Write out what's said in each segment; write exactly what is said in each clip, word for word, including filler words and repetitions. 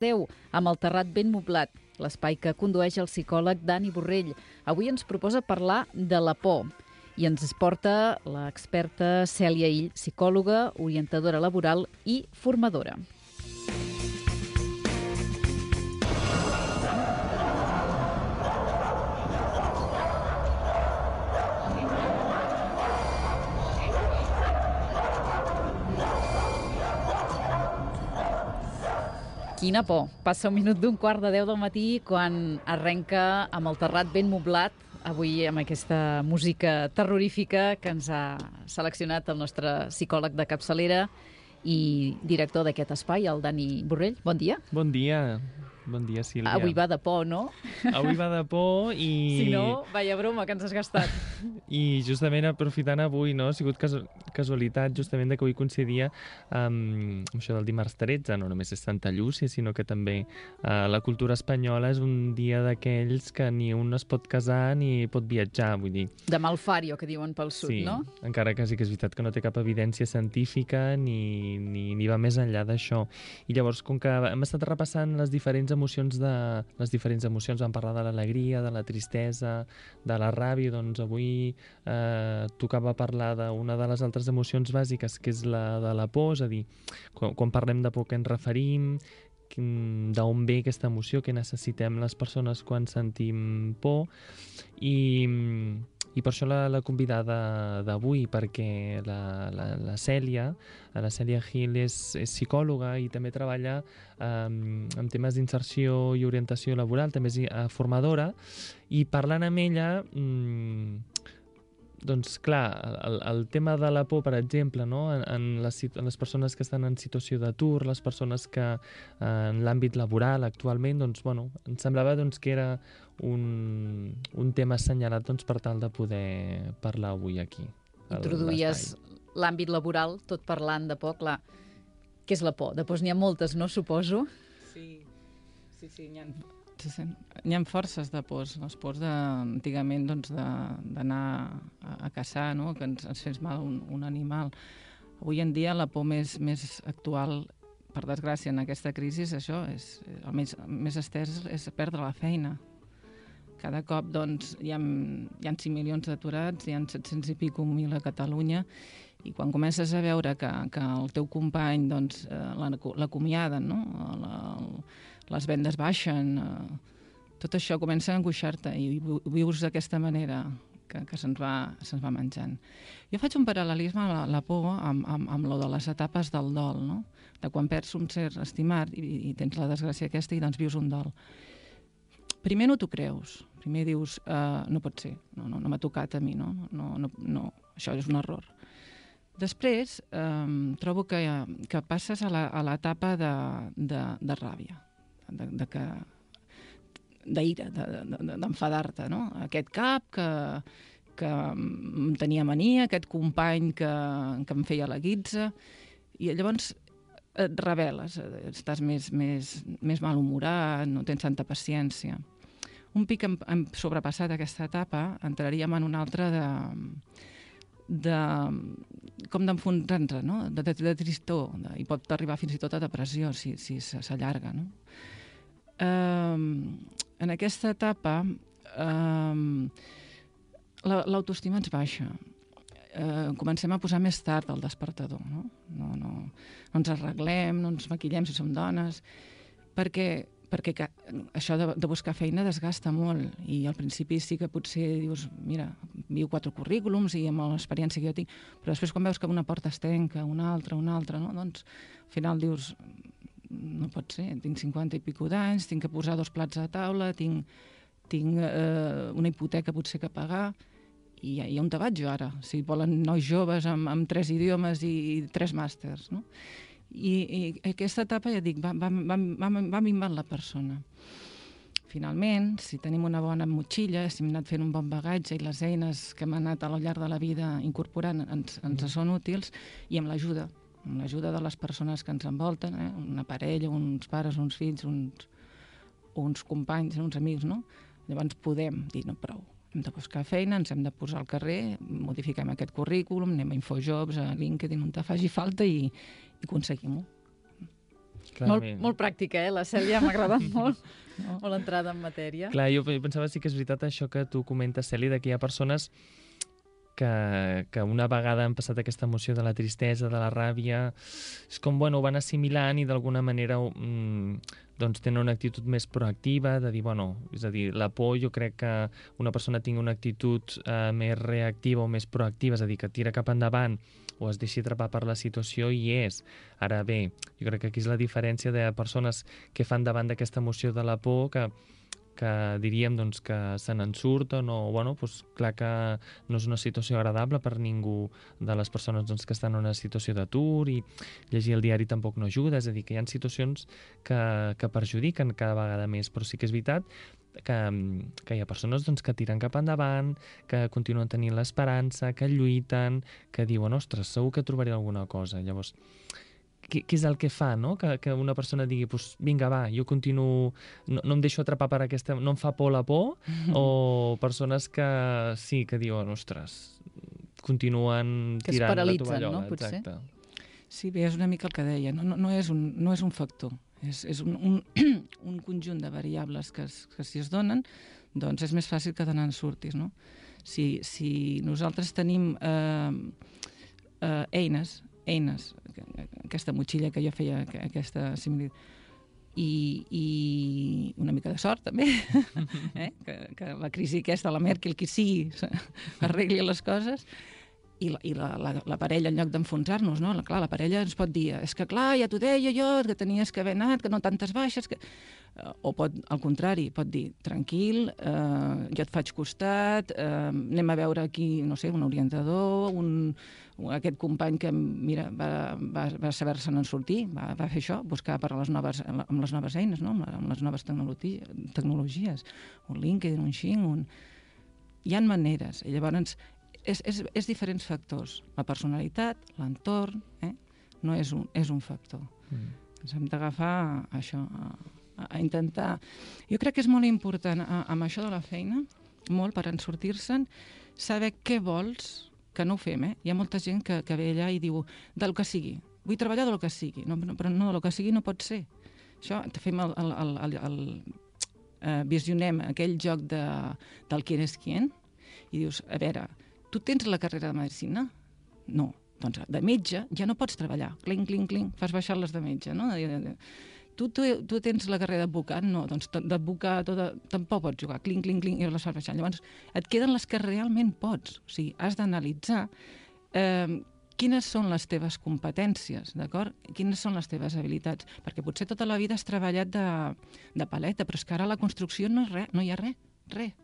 deu, amb el terrat ben moblat, l'espai que condueix el psicòleg Dani Borrell. Avui ens proposa parlar de la por i ens porta l'experta Cèlia Ill, psicòloga, orientadora laboral i formadora. Quina por. Passa un minut d'un quart de deu del matí quan arrenca amb el terrat ben moblat, avui amb aquesta música terrorífica que ens ha seleccionat el nostre psicòleg de capçalera i director d'aquest espai, el Dani Borrell. Bon dia. Bon dia. Bon dia, Sílvia. Avui va de por, no? Avui va de por i... Si no, vaya broma que ens has gastat. I justament aprofitant avui, no? Ha sigut casu casualitat justament de que avui coincidia amb això del dimarts tretze, no només és Santa Llúcia, sinó que també eh, la cultura espanyola és un dia d'aquells que ni un es pot casar ni pot viatjar, vull dir. De Malfario, que diuen pel sud, sí, no? Encara que sí que és veritat que no té cap evidència científica ni, ni, ni va més enllà d'això. I llavors, com que hem estat repassant les diferents emocions de les diferents emocions, vam parlar de l'alegria, de la tristesa, de la ràbia, doncs avui eh, tocava parlar d'una de les altres emocions bàsiques, que és la de la por, és a dir, quan, quan parlem de por què ens referim, d'on ve aquesta emoció, què necessitem les persones quan sentim por, i, i per això la, la convidada d'avui, perquè la, la, la Cèlia, la Cèlia Ill és, és psicòloga i també treballa eh, en temes d'inserció i orientació laboral, també és eh, formadora, i parlant amb ella... Mm, doncs clar, el, el tema de la por, per exemple, no? en, en, les, en les persones que estan en situació d'atur, les persones que eh, en l'àmbit laboral actualment, doncs, bueno, em semblava doncs, que era un, un tema assenyalat doncs, per tal de poder parlar avui aquí. Introduïes l'àmbit laboral, tot parlant de por, clar. Què és la por? Després n'hi ha moltes, no, suposo? Sí, sí, sí, n'hi ha... Sí, sí. Hi ha forces de pors, les pors de, antigament doncs, d'anar a, a caçar, no? Que ens, ens fes mal un, un animal. Avui en dia la por més, més actual, per desgràcia, en aquesta crisi, és això, és, el més, més estès és perdre la feina. Cada cop doncs, hi ha, hi ha cinc milions d'aturats, hi ha set-cents i pico mil a Catalunya, i quan comences a veure que, que el teu company doncs, l'acomiaden, no? la, les vendes baixen, eh, tot això comença a angoixar-te i vius d'aquesta manera que, que se'ns va, se'ns va menjant. Jo faig un paral·lelisme a la, la por amb, amb, amb lo de les etapes del dol, no? De quan perds un ser estimat i, i tens la desgràcia aquesta i doncs vius un dol. Primer no t'ho creus, primer dius, uh, no pot ser, no, no, no m'ha tocat a mi, no? No, no, no, això és un error. Després, eh, trobo que, que passes a l'etapa de, de, de ràbia, de, de que d'ira, d'enfadar-te, no? Aquest cap que, que em tenia mania, aquest company que, que em feia la guitza, i llavors et rebel·les, estàs més, més, més malhumorat, no tens tanta paciència. Un pic hem, hem sobrepassat aquesta etapa, entraríem en una altra de... de com d'enfonsar-nos, no? de, de, de tristor, de, i pot arribar fins i tot a depressió si, si s'allarga. No? Um, en aquesta etapa um, l'autoestima ens baixa. Uh, comencem a posar més tard el despertador. No? No, no, no ens arreglem, no ens maquillem si som dones, perquè perquè que, això de, de buscar feina desgasta molt i al principi sí que potser dius mira, viu quatre currículums i amb l'experiència que jo tinc, però després quan veus que una porta es tanca, una altra, una altra, no? Doncs al final dius no pot ser, tinc cinquanta i pico d'anys, tinc que posar dos plats a taula, tinc, tinc eh, una hipoteca potser que pagar i, i on te vaig jo ara? Si volen nois joves amb, amb tres idiomes i, i tres màsters, no? I, i aquesta etapa, ja dic, va, va, va, va, va minvant la persona. Finalment, si tenim una bona motxilla, si hem anat fent un bon bagatge i les eines que hem anat al llarg de la vida incorporant ens, ens són útils, i amb l'ajuda, amb l'ajuda de les persones que ens envolten, eh? Una parella, uns pares, uns fills, uns, uns companys, uns amics, no? Llavors podem dir, no, prou, hem de buscar feina, ens hem de posar al carrer, modifiquem aquest currículum, anem a Infojobs, a LinkedIn, on te faci falta i, i aconseguim-ho. Molt, molt pràctica, eh? La Cèlia m'ha agradat molt, molt entrada en matèria. Clar, jo pensava sí que és veritat això que tu comentes, Cèlia, que hi ha persones que, que una vegada han passat aquesta emoció de la tristesa, de la ràbia, és com, bueno, ho van assimilant i d'alguna manera mm, doncs tenen una actitud més proactiva, de dir, bueno, és a dir, la por, jo crec que una persona tingui una actitud eh, més reactiva o més proactiva, és a dir, que tira cap endavant o es deixi atrapar per la situació i és. Ara bé, jo crec que aquí és la diferència de persones que fan davant d'aquesta emoció de la por, que que diríem doncs, que se n'en surten o, bueno, doncs, clar que no és una situació agradable per ningú de les persones doncs, que estan en una situació d'atur i llegir el diari tampoc no ajuda, és a dir, que hi ha situacions que, que perjudiquen cada vegada més, però sí que és veritat que, que hi ha persones doncs, que tiren cap endavant, que continuen tenint l'esperança, que lluiten, que diuen, ostres, segur que trobaré alguna cosa. Llavors, què, què és el que fa, no? Que, que una persona digui, pues, vinga, va, jo continuo, no, no em deixo atrapar per aquesta, no em fa por la por, mm-hmm. o persones que sí, que diuen, ostres, continuen que tirant la tovallola. Que es paralitzen, no? Potser. Exacte. Sí, bé, és una mica el que deia, no, no, no, és, un, no és un factor, és, és un, un, un conjunt de variables que, es, que si es donen, doncs és més fàcil que te n'en surtis, no? Si, si nosaltres tenim eh, eh, eines, eines, aquesta motxilla que jo feia, aquesta similitud, i, i una mica de sort també, eh? que, que la crisi aquesta, la Merkel, qui sigui, arregli les coses, i la, i la, la, la parella, en lloc d'enfonsar-nos, no? La, clar, la parella ens pot dir, és que clar, ja t'ho deia jo, que tenies que haver anat, que no tantes baixes, que... o pot, al contrari, pot dir, tranquil, eh, jo et faig costat, eh, anem a veure aquí, no sé, un orientador, un, un, aquest company que, mira, va, va, va saber-se'n en sortir, va, va fer això, buscar per les noves, amb les noves eines, no? amb les noves tecnologies, tecnologies, un LinkedIn, un Xing, un... Hi ha maneres, i llavors és, és, és diferents factors, la personalitat, l'entorn, eh? no és un, és un factor. Mm. Ens hem d'agafar això, a, a intentar... Jo crec que és molt important a, amb això de la feina, molt per en sortir-se'n, saber què vols, que no ho fem, eh? Hi ha molta gent que, que ve allà i diu del que sigui, vull treballar del que sigui, no, però no, del que sigui no pot ser. Això, fem el... el, el, el, el eh, visionem aquell joc de, del quién és quién i dius, a veure, tu tens la carrera de medicina? No. Doncs de metge ja no pots treballar. Clinc, clinc, clinc, fas baixar les de metge, no? Tu, tu, tu tens la carrera d'advocat? No, doncs d'advocat tampoc pots jugar. Clinc, clinc, clinc, i les fas baixar. Llavors, et queden les que realment pots. O sigui, has d'analitzar eh, quines són les teves competències, d'acord? Quines són les teves habilitats? Perquè potser tota la vida has treballat de, de paleta, però és que ara la construcció no és res, no hi ha res, res.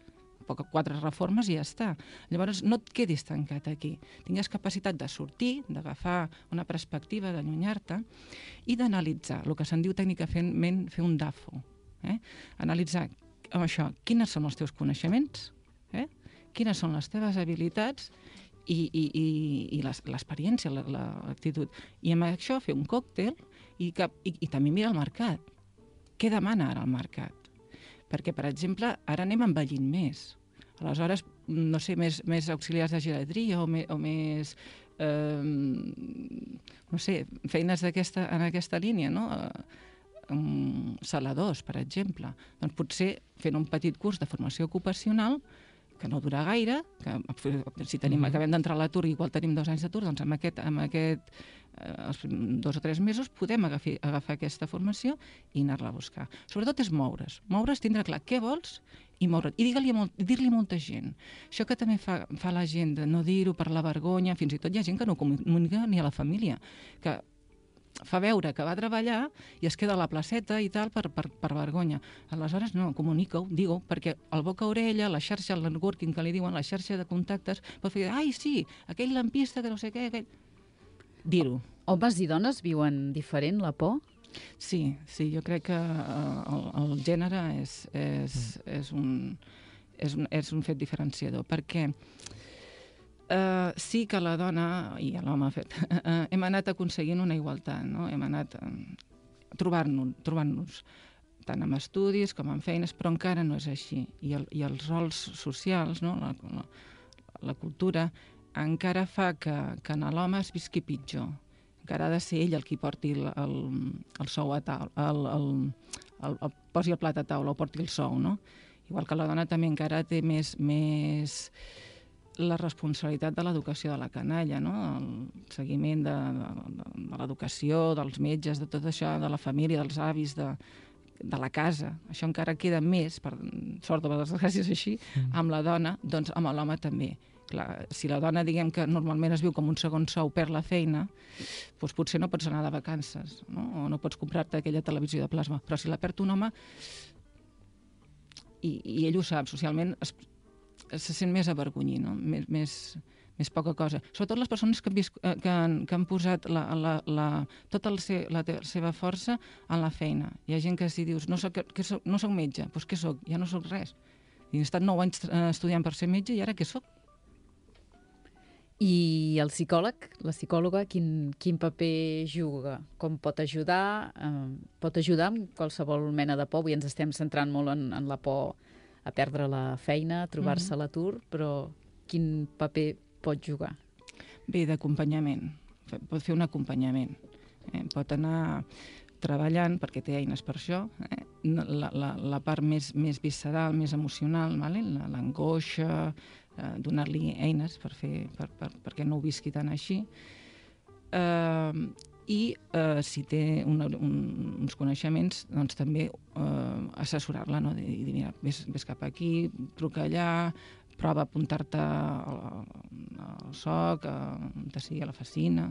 Quatre reformes i ja està. Llavors, no et quedis tancat aquí. Tingues capacitat de sortir, d'agafar una perspectiva, d'allunyar-te i d'analitzar, el que se'n diu tècnicament fer un D A F O. Eh? Analitzar amb això, quines són els teus coneixements, eh? Quines són les teves habilitats i, i, i, i l'experiència, l'actitud. I amb això fer un còctel i, que, i, i també mirar el mercat. Què demana ara el mercat? Perquè, per exemple, ara anem envellint més. Aleshores, no sé, més, més auxiliars de geriatria o, me, o més, eh, no sé, feines d'aquesta, en aquesta línia, no? Um, saladors, per exemple. Doncs potser fent un petit curs de formació ocupacional que no dura gaire, que si tenim, mm-hmm. acabem d'entrar a l'atur i igual tenim dos anys d'atur, doncs amb aquest, amb aquest eh, els dos o tres mesos podem agafar, agafar aquesta formació i anar-la a buscar. Sobretot és moure's. Moure's, tindre clar què vols i moure't. I dir-li molt, dir-li a molta gent. Això que també fa, fa la gent de no dir-ho per la vergonya, fins i tot hi ha gent que no comunica ni a la família, que fa veure que va a treballar i es queda a la placeta i tal per, per, per vergonya. Aleshores, no, comunica-ho, digue-ho, perquè el boca a orella, la xarxa, el networking que li diuen, la xarxa de contactes, pot fer, ai, sí, aquell lampista que no sé què, aquell... Dir-ho. Homes i dones viuen diferent la por? Sí, sí, jo crec que el, el gènere és, és, és, un, és, un, és un fet diferenciador, perquè Uh, sí que la dona i l'home ha fet, uh, hem anat aconseguint una igualtat, no? Hem anat uh, trobant-nos, trobant-nos tant en estudis com en feines, però encara no és així. I, el, i els rols socials, no? la, la, la cultura, encara fa que, que en l'home es visqui pitjor. encara ha de ser ell el qui porti el, el, el sou a taula, el, el, el, el, posi el plat a taula o porti el sou, no? Igual que la dona també encara té més, més la responsabilitat de l'educació de la canalla, no? El seguiment de, de, de l'educació, dels metges, de tot això, de la família, dels avis, de, de la casa. Això encara queda més, per sort o per desgràcia és així, mm. amb la dona, doncs amb l'home també. Clar, si la dona, diguem que normalment es viu com un segon sou, perd la feina, doncs potser no pots anar de vacances, no? O no pots comprar-te aquella televisió de plasma. Però si la perd un home, i, i ell ho sap, socialment es, se sent més avergonyit, no? Més, més, més poca cosa. Sobretot les persones que han, vist, que han, que han posat la, la, la, tota la, se, la, la seva força en la feina. Hi ha gent que si dius, no soc, que soc, no soc metge, doncs què soc? Ja no soc res. I he estat nou anys estudiant per ser metge i ara què soc? I el psicòleg, la psicòloga, quin, quin paper juga? Com pot ajudar? Eh, pot ajudar amb qualsevol mena de por? Avui ens estem centrant molt en, en la por a perdre la feina, a trobar-se mm-hmm. a l'atur, però quin paper pot jugar? Bé, d'acompanyament. Pot fer un acompanyament. Eh? Pot anar treballant, perquè té eines per això, eh? la, la, la part més, més visceral, més emocional, vale? L'angoixa, eh, donar-li eines per fer, per, per, perquè no ho visqui tan així. Eh, I eh, si té una, un, uns coneixements, doncs també eh, assessorar-la, no? I dir, mira, vés, vés cap aquí, truca allà, prova a apuntar-te al, al soc, a, a sigui a la Facina,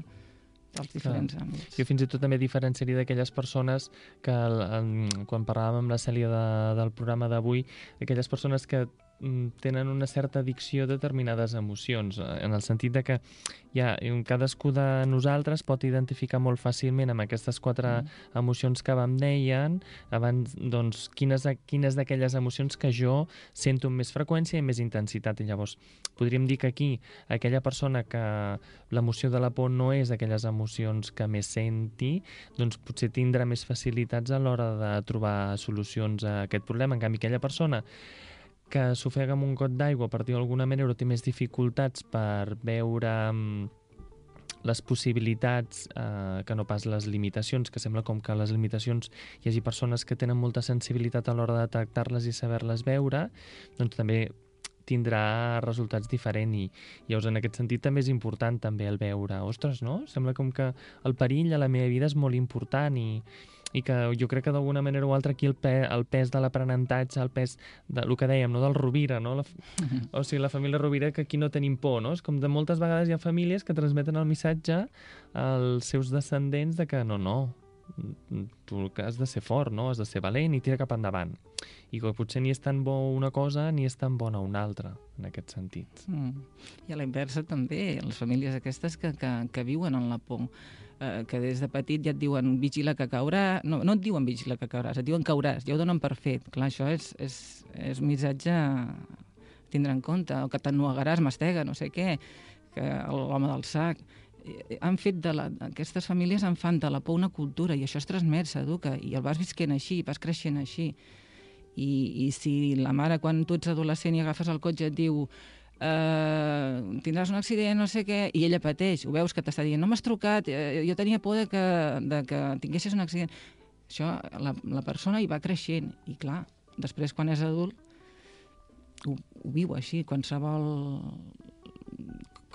dels diferents Clar. àmbits. Jo fins i tot també diferenciaria d'aquelles persones que, en, quan parlàvem amb la Cèlia de, del programa d'avui, aquelles persones que tenen una certa addicció a determinades emocions, en el sentit de que ja, cadascú de nosaltres pot identificar molt fàcilment amb aquestes quatre mm. emocions que vam deien, abans, doncs, quines, quines d'aquelles emocions que jo sento amb més freqüència i més intensitat. I llavors, podríem dir que aquí, aquella persona que l'emoció de la por no és aquelles emocions que més senti, doncs potser tindrà més facilitats a l'hora de trobar solucions a aquest problema. En canvi, aquella persona que s'ofega amb un got d'aigua, per dir-ho d'alguna manera, o té més dificultats per veure um, les possibilitats eh, que no pas les limitacions, que sembla com que les limitacions hi hagi persones que tenen molta sensibilitat a l'hora de detectar-les i saber-les veure, doncs també tindrà resultats diferents i llavors en aquest sentit també és important també el veure, ostres, no? Sembla com que el perill a la meva vida és molt important i i que jo crec que d'alguna manera o altra aquí el, pe el pes de l'aprenentatge, el pes del que dèiem, no? Del Rovira, no? La, o sigui, la família Rovira, que aquí no tenim por, no? És com de moltes vegades hi ha famílies que transmeten el missatge als seus descendents de que no, no, tu has de ser fort, no? Has de ser valent i tira cap endavant. I que potser ni és tan bo una cosa ni és tan bona una altra, en aquest sentit. Mm. I a la inversa també, les famílies aquestes que, que, que viuen en la por, eh, que des de petit ja et diuen vigila que caurà, no, no et diuen vigila que cauràs, et diuen cauràs, ja ho donen per fet. Clar, això és, és, és un missatge a tindre en compte, o que t'ennuegaràs, mastega, no sé què, que l'home del sac. Han fet de la, aquestes famílies en fan de la por una cultura i això es transmet, s'educa, i el vas visquent així, vas creixent així. I, i si la mare, quan tu ets adolescent i agafes el cotxe, et diu Uh, tindràs un accident, no sé què, i ella pateix, ho veus que t'està dient, no m'has trucat, jo tenia por de que, de que tinguessis un accident. Això, la, la persona hi va creixent, i clar, després quan és adult ho, ho viu així, qualsevol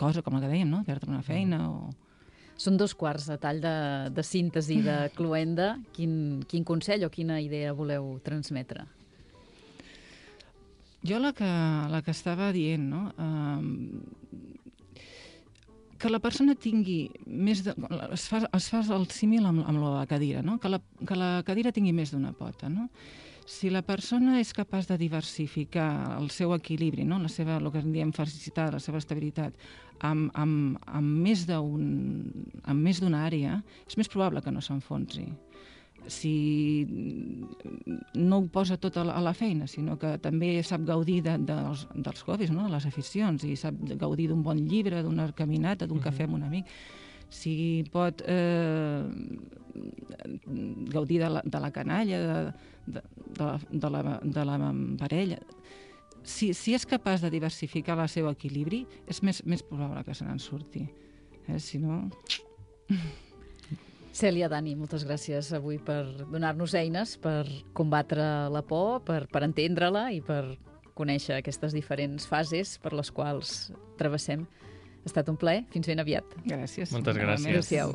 cosa, com la que dèiem, no? Perdre una feina o... Són dos quarts a tall de, de síntesi de cloenda. Quin, quin consell o quina idea voleu transmetre? Jo la que, la que estava dient, no? Um, que la persona tingui més de... Es fa, es fa el símil amb, amb la cadira, no? Que la, que la cadira tingui més d'una pota, no? Si la persona és capaç de diversificar el seu equilibri, no? La seva, el que en diem felicitat, la seva estabilitat, amb, amb, amb més d'un, amb més d'una àrea, és més probable que no s'enfonsi. Si no ho posa tot a la, a la feina, sinó que també sap gaudir de, de, dels, dels hobbies, no? De les aficions, i sap gaudir d'un bon llibre, d'una caminata, d'un cafè amb un amic, si pot eh, gaudir de la, de la canalla, de, de, de, la, de, la, de la parella, si, si és capaç de diversificar el seu equilibri, és més, més probable que se n'en surti. Eh? Si no... Cèlia, Dani, moltes gràcies avui per donar-nos eines per combatre la por, per, per entendre-la i per conèixer aquestes diferents fases per les quals travessem. Ha estat un plaer. Fins ben aviat. Gràcies. Moltes gràcies. Adéu-siau.